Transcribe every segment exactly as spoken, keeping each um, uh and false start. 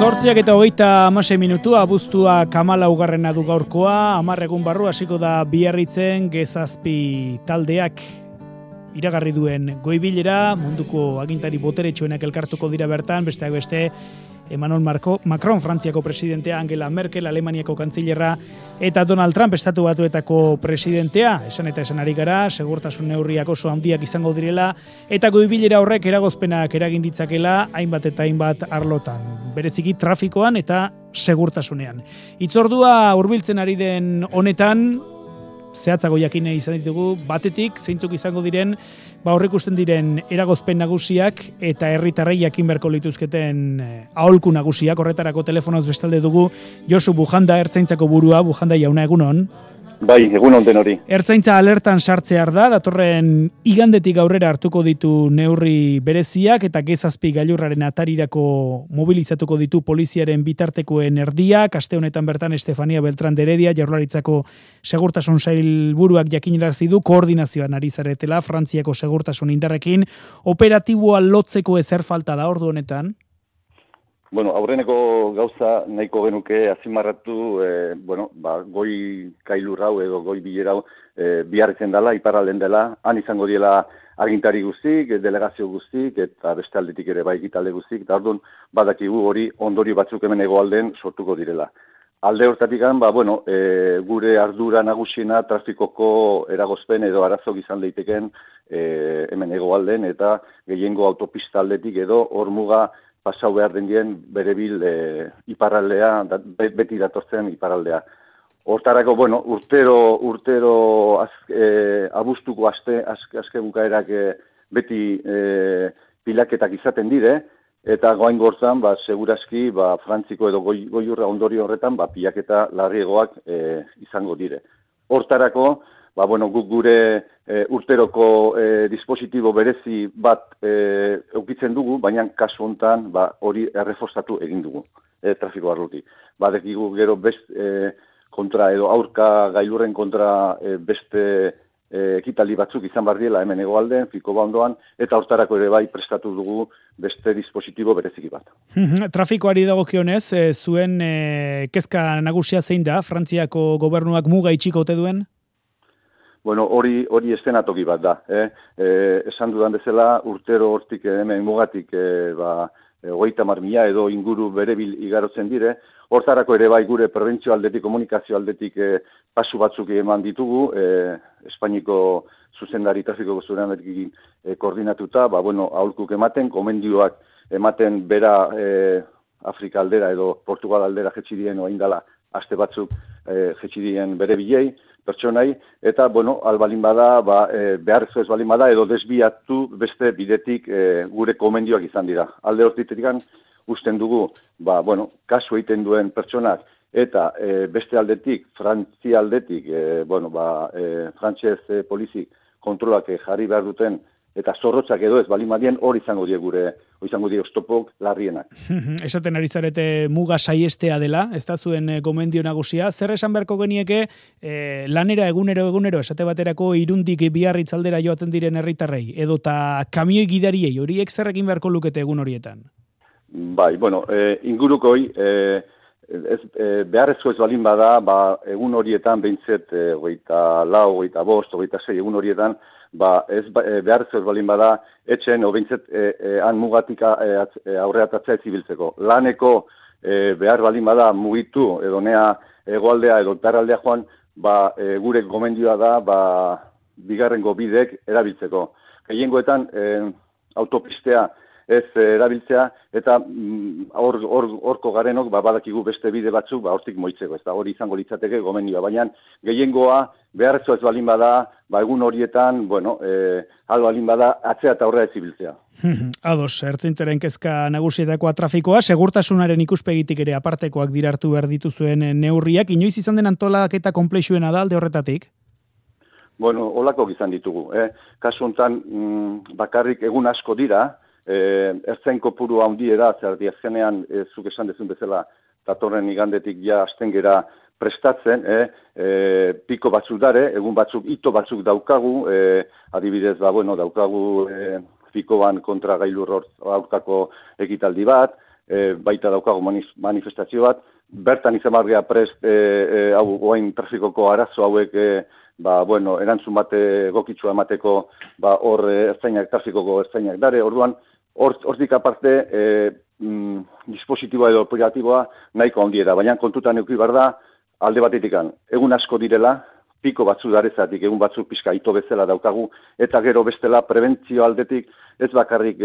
Zortziak eta hogeita hamasei minutu, abuztua kamala ugarrena du gaurkoa, hamar egun barru hasiko da Biarritzen Gezazpi taldeak iragarri duen goibilera, munduko agintari boteretsuenak elkartuko dira bertan, besteak beste Emmanuel Macron, Frantziako presidentea, Angela Merkel, Alemaniako kantzilerra, eta Donald Trump, Estatu Batuetako presidentea, esan eta esan ari gara, segurtasun neurriak oso handiak izango direla, eta goibilera horrek eragozpenak eragin ditzakela, hainbat eta hainbat arlotan, bereziki trafikoan eta segurtasunean. Itzordua hurbiltzen ari den honetan, zehatzago jakine izan ditugu, batetik, zeintzuk izango diren, ba horrekusten diren eragozpen nagusiak eta herritarrei jakin beharko lituzketen aholku nagusiak, horretarako telefonoz bestalde dugu Josu Bujanda, Ertzaintzako burua. Bujanda jauna, egunon. Bai, egunon den hori. Ertzaintza alertan sartzear da, datorren igandetik aurrera hartuko ditu neurri bereziak eta Gezazpi gailurraren atarirako mobilizatuko ditu poliziaren bitartekoen erdiak. Aste honetan bertan Estefania Beltrán de Heredia, Jaurlaritzako segurtasun sailburuak jakinarazi du koordinazioan ari zaretela Frantziako segurtasun indarrekin. Operatiboa lotzeko ezer falta da ordu honetan? Bueno, aurreneko gauza nahiko genuke azimarratu, eh, bueno, ba, goi kailur hau edo goi bilera hau eh, Biarritzen dela, iparralden dela, han izango diela agintari guztik, delegazio guztik, eta beste aldetik ere bai ekitalde guztik, eta orduan badakigu hori ondorio batzuk hemen hegoalden sortuko direla. Alde hortatik ba, bueno, e, gure ardura nagusiena trafikoko eragozpen edo arazok izan daiteken e, hemen hegoalden, eta gehiengo autopista aldetik edo hormuga pasau behar den dien bere bil e, iparraldea, da, beti datortzen iparraldea. Hortarako, bueno, urtero, urtero az, e, abuztuko aste, azke, azke bukaerak e, beti e, pilaketak izaten dire, eta goain gortzan, ba, segurazki, ba, Frantziko edo goi, goiurra ondorio horretan, ba, pilaketa larriegoak e, izango dire. Hortarako, ba, bueno, guk gure e, urteroko e, dispositibo berezi bat e, eukitzen dugu, baina kasu honetan ba, hori erreforstatu egin dugu e, trafiko arlotik. Badekigu gero best e, kontra edo aurka gailurren kontra e, beste e, ekitaldi batzuk izan behar diela hemen hegoalden, Fikoba ondoan, eta hortarako ere bai prestatu dugu beste dispositibo bereziki bat. Trafikoari dagokionez, e, zuen e, kezka nagusia zein da, Frantziako gobernuak muga itxiko ote duen? Bueno, hori hori estenatoki bat da. Eh? E, esan dudan bezala, urtero hortik hemen mugatik e, ba, hogeita hamar mila edo inguru berebil igarotzen dire. Hortarako ere bai gure prebentzio aldetik, komunikazio aldetik e, pasu batzuk eman ditugu, e, Espainiko zuzendari trafiko zuzendarekin e, koordinatuta, ba, bueno, aholkuk ematen, komendioak ematen bera e, Afrika aldera edo Portugal aldera jetxidien oaindala aste batzuk e, jetxidien bere bilei, pertsonai, eta, bueno, albalin bada, ba, e, beharrezko ez balin bada, edo desbiatu beste bidetik e, gure komendioak izan dira. Alde hortitetik usten dugu, ba, bueno, kasu egiten duen pertsonak, eta e, beste aldetik, Frantzia aldetik, e, bueno, ba, e, frantxez e, polizik kontrolak e, jarri behar duten, eta zorrotzak edo ez balin badien, hor izango die gure, hor izango die oztopok larrienak. Esaten ari zarete muga saiestea dela, ez da zuen gomendio nagusia. Zer esan beharko genieke eh, lanera egunero egunero, esate baterako Irundik Biarritz aldera joaten diren herritarrei, edota kamioi gidariei, horiek zer egin beharko lukete egun horietan? Bai, bueno, e, ingurukoi, e, ez, e, beharrezko ez balin bada, ba, egun horietan behintzet, e, hogeita lau, hogeita bost, hogeita sei, egun horietan, ba, ez e, beharrezko ez balin bada, etxen, o behintzet, e, e, han mugatik e, aurreatatzea ez ibiltzeko. Laneko e, behar balin bada mugitu, edo nea egoaldea, edo tarraldea joan, ba, e, gure gomendioa da, ba, bigarrengo bidek erabiltzeko. Gehiengoetan, e, autopistea, ez erabiltzea, eta hor mm, or, orko garenok ba, badakigu beste bide batzuk ba, hortik moitzeko, ez da hori izango litzateke gomendioa, baina gehiengoa beharrezko ez balin bada, ba, egun horietan, bueno, e, hal balin bada, atzea eta aurrera ez ibiltzea. Ados, ertzaintzaren kezka nagusietakoa trafikoa, segurtasunaren ikuspegitik ere apartekoak dira hartu behar dituzuen neurriak, inoiz izan den antolaketa konplexuena da alde horretatik? Bueno, holako izan ditugu. Eh? Kasu honetan, mm, bakarrik egun asko dira, Eh, ertzain kopuru handi da, zer azkenean eh, zuk esan dezun bezala datorren igandetik ja hasten gera prestatzen, eh, eh, piko batzuk dare, egun batzuk, ito batzuk daukagu, eh, adibidez, ba, bueno, daukagu eh, Fikoban kontra gailur aurkako ekitaldi bat, e, baita daukagu manifestazio bat, bertan izan bargea prest, e, e, hau, oain trafikoko arazo hauek, e, ba, bueno, erantzun bate egokitsua emateko, ba, hor e, ertzainak, trafikoko ertzainak dare, orduan, hortik aparte, e, mm, dispositiboa edo operatiboa nahiko handiera, baina kontutan euki behar da, alde batetikan, egun asko direla, piko batzu darezatik, egun batzuk pixka ito bezala daukagu, eta gero bestela prebentzio aldetik, ez bakarrik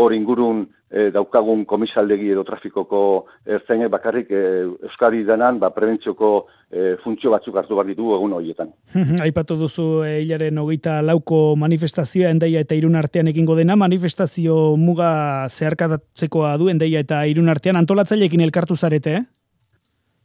hor e, ingurun e, daukagun komisaldegi edo trafikoko ertzainek bakarrik e, Euskadi denan ba, prebentzioko e, funtzio batzuk hartu behar ditugu egun horietan. Aipatu duzu e, hilaren hogeita lauko manifestazioa Hendaia eta Irun artean egingo dena, manifestazio muga zeharkatzekoa du Hendaia eta Irun artean, antolatzaileekin elkartu zarete, eh?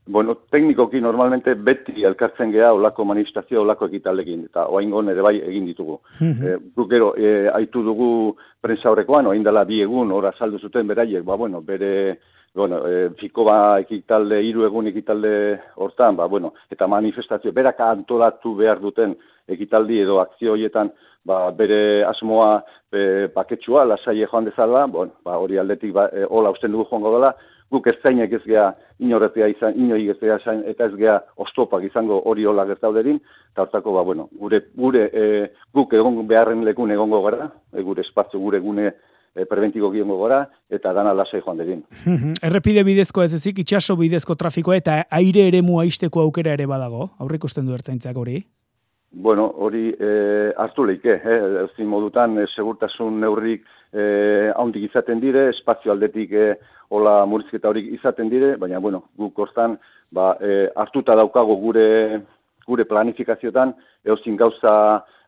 Bueno, teknikoki normalmente beti elkartzen geha olako manifestazio, olako ekitaldekin, eta oaingon ere bai egin ditugu. e, guk gero, e, aitu dugu prensa horrekoan, oain dela bi egun, ora saldu zuten beraiek, ba, bueno, bere, bueno, e, fikoba ekitalde, hiru egun ekitalde hortan, ba, bueno, eta manifestazio, berak antolatu behar duten ekitaldi edo akzio horietan, ba, bere asmoa e, paketsua, lasaie joan dezala, bueno, ba, hori aldetik, ba, e, hola usten dugu joango dela, guk ertzainek ez geha inorretea izan, inoi ez geha izan, eta ez geha oztopak izango hori hola gertauderin, eta hortako, ba, bueno, gure, gure e, guk egon beharren lekun egongo gara, e, gure espazio, gure gune e, preventiko giongo gara, eta dana lasai joan dedin. Errepide bidezko ez ezik, itxaso bidezko trafikoa eta aire eremua isteko aukera ere badago, aurrik usten du ertzaintzak hori? Bueno, hori e, hartu leike, eh? Ezin modutan e, segurtasun neurrik e, haundik izaten dire, espazio aldetik e, hola murrizketa horik izaten dire, baina, bueno, guk hortan ba, e, hartuta daukago gure, gure planifikaziotan, eozin gauza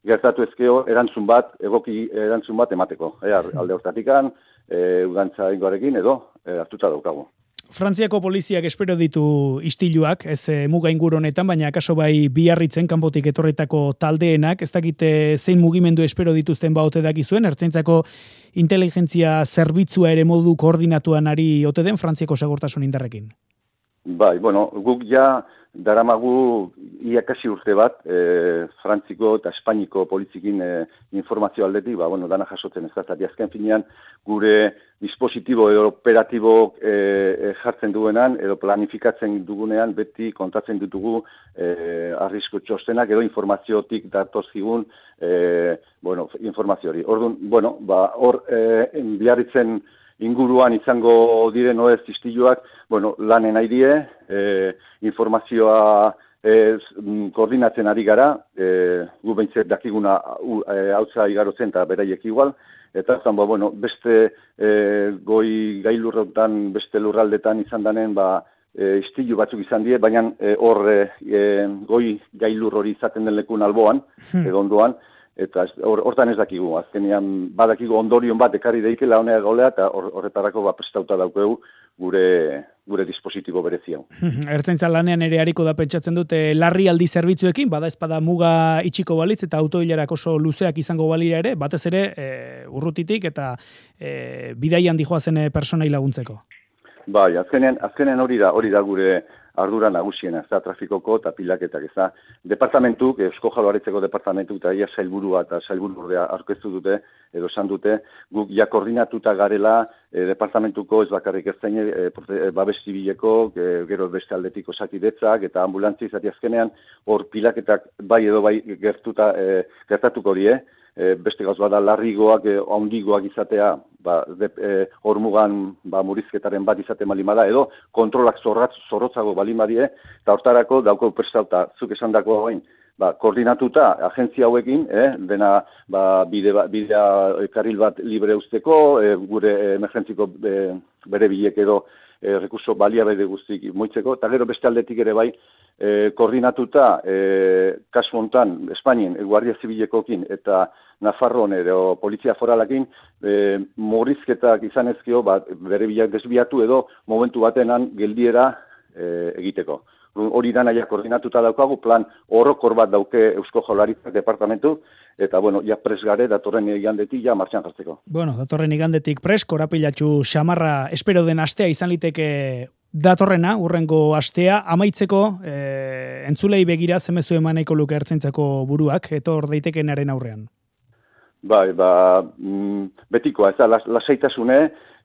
gertatu ezkeo, erantzun bat, egoki erantzun bat emateko. E, alde hortatikan, e, udantza ingoarekin edo e, hartuta daukago. Frantziako poliziak espero ditu istiluak, ez e, muga inguru honetan, baina akaso bai Biarritzen kanpotik etorretako taldeenak, ez dakite zein mugimendu espero dituzten baote dakizuen, ertzaintzako inteligentzia zerbitzua ere modu koordinatuan ari ote den Frantziako segurtasun indarrekin? Bai, bueno, guk ja daramagu iakasi urte bat, e, Frantziko eta Espainiko polizikin e, informazio aldetik, ba, bueno, dana jasotzen ez da, azken finean gure dispositibo edo operatibo e, e, jartzen duenan, edo planifikatzen dugunean, beti kontatzen ditugu e, arrisku txostenak edo informaziotik datozkigun e, bueno, informazio hori. Orduan, bueno, ba, hor e, Biarritzen inguruan izango diren oez istiluak, bueno, lanen nahi die, e, informazioa e, koordinatzen ari gara, e, gu behintzet dakiguna hautza e, igarotzen eta beraiek igual, eta zan, ba, bueno, beste e, goi gailurrotan, beste lurraldetan izan danen, ba, e, istilu batzuk izan die, baina hor e, e, goi gailur hori izaten den lekun alboan, hmm. edo ondoan, eta hortan ez dakigu, azkenean badakigu ondorion bat ekarri deikela honea golea, eta horretarako ba, prestauta daukegu gure, gure dispositibo berezia. Ertzaintza lanean ere hariko da pentsatzen dute larri aldi zerbitzuekin, bada espada muga itxiko balitz eta autoilarak oso luzeak izango balira ere, batez ere e, urrutitik eta e, bidaian dijoazen personai laguntzeko. Bai, azkenean, azkenean hori da, hori da gure ardura nagusiena, ez da, trafikoko eta pilaketak, ez da, departamentuk, Eusko Jaurlaritzako departamentuk eta ia sailburua eta sailbururdea aurkeztu dute, edo esan dute, guk ja koordinatuta garela, e, departamentuko ez bakarrik ertzaine, e, babes zibileko, e, gero beste aldetik osakidetzak eta ambulantzi izati azkenean, hor pilaketak bai edo bai gertuta, e, gertatuko hori, eh? E, beste gauz bada larrigoak, e, ondigoak izatea, ba, e, hor mugan ba, murizketaren bat izate malimada, edo kontrolak zorratz, zorrotzago balimadie, eta hortarako dauko prestauta, zuk esan dako hain, ba, koordinatuta agentzia hauekin, eh, dena ba, bide, bidea karril bat libre usteko, e, gure emergentziko e, bere bilek edo e, rekurso baliabide guztik moitzeko, eta gero beste aldetik ere bai, E, koordinatuta, e, kasu hontan, Espainien, e, Guardia Zibilekokin eta Nafarroan edo Polizia Foralakin, e, murrizketak izan ezkio, ba, bere bilak desbiatu edo momentu batenan geldiera e, egiteko. Hori da naia koordinatuta daukagu, plan orokor bat dauke Eusko Jaurlaritzak departamentu, eta, bueno, ja pres gare datorren igandetik ja martxan jartzeko. Bueno, datorren igandetik pres, korapilatxu xamarra espero den astea izan liteke datorrena, urrengo astea, amaitzeko e, entzulei begira zemezu emaneiko luke ertzaintzako buruak, etor daitekenaren aurrean. Bai, ba, mm, betikoa, ez da, las, lasaitasune,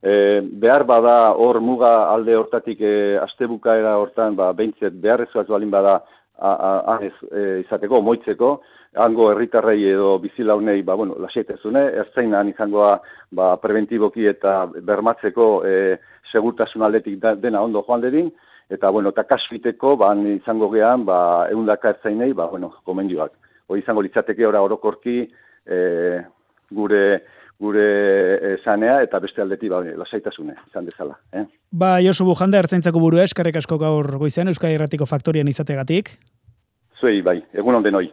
E, behar bada hor muga alde hortatik e, astebukaera hortan ba, behintzet beharrezkoaz balin bada han e, izateko, moitzeko, hango herritarrei edo bizilaunei ba, bueno, lasaitezune, ertzainan izangoa ba, preventiboki eta bermatzeko e, segurtasun aldetik da, dena ondo joan dedin, eta bueno, eta kasfiteko ba, izango gehan ba, eundaka ertzainei ba, bueno, gomendioak. Hori izango litzateke ora orokorki e, gure gure sanea eta beste aldetik ba, lasaitasune izan dezala. Eh? Ba, Josu Bujanda, ertzaintzako burua, eskerrik asko gaur goizean Euskadi Irratiko Faktorian izategatik. Zuei, bai, egun on denoi.